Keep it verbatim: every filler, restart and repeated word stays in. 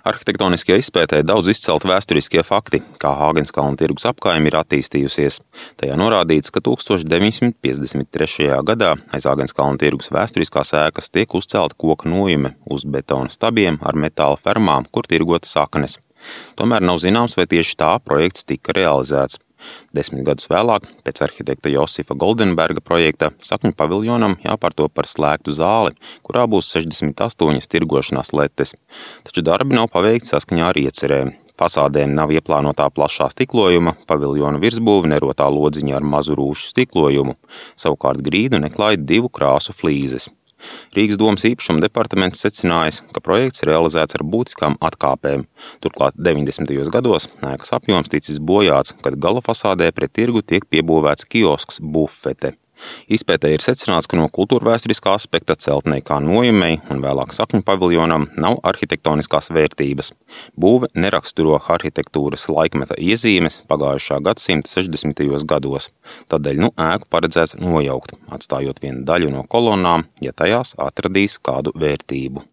Arhitektoniskajā izpētē daudz izcelti vēsturiskie fakti, kā Hāgenskalna tirgus apkaime ir attīstījusies. Tajā norādīts, ka tūkstoš deviņsimt piecdesmit trešajā gadā aiz Hāgenskalna tirgus vēsturiskās ēkas tiek uzcelta koka nojume uz betona stabiem ar metāla fermām, kur tirgota saknes. Tomēr nav zināms, vai tieši tā projekts tika realizēts. Desmit gadus vēlāk, pēc arhitekta Josifa Goldenberga projekta, sakņu paviljonam jāpārto par slēgtu zāli, kurā būs sešdesmit astoņas tirgošanās letes. Taču darbi nav paveikti saskaņā ar iecerēm. Fasādēm nav ieplānotā plašā stiklojuma, paviljona virsbūve nerotā lodziņa ar mazu rūšu stiklojumu, savukārt grīdu neklāja divu krāsu flīzes. Rīgas domas īpašuma departaments secinājis, ka projekts realizēts ar būtiskām atkāpēm. Turklāt deviņdesmitajos gados ēkas apjoms ticis bojāts, kad gala fasādē pret tirgu tiek piebūvēts kiosks bufete. Izpētē ir secināts, ka no kultūrvēsturiskā aspekta celtnei kā nojumei un vēlāk sakņu paviljonam nav arhitektoniskās vērtības. Būve neraksturo arhitektūras laikmeta iezīmes pagājušā gadsimta sešdesmitajos gados. Tādēļ nu ēku paredzēts nojaukt, atstājot vienu daļu no kolonnām, ja tajās atradīs kādu vērtību.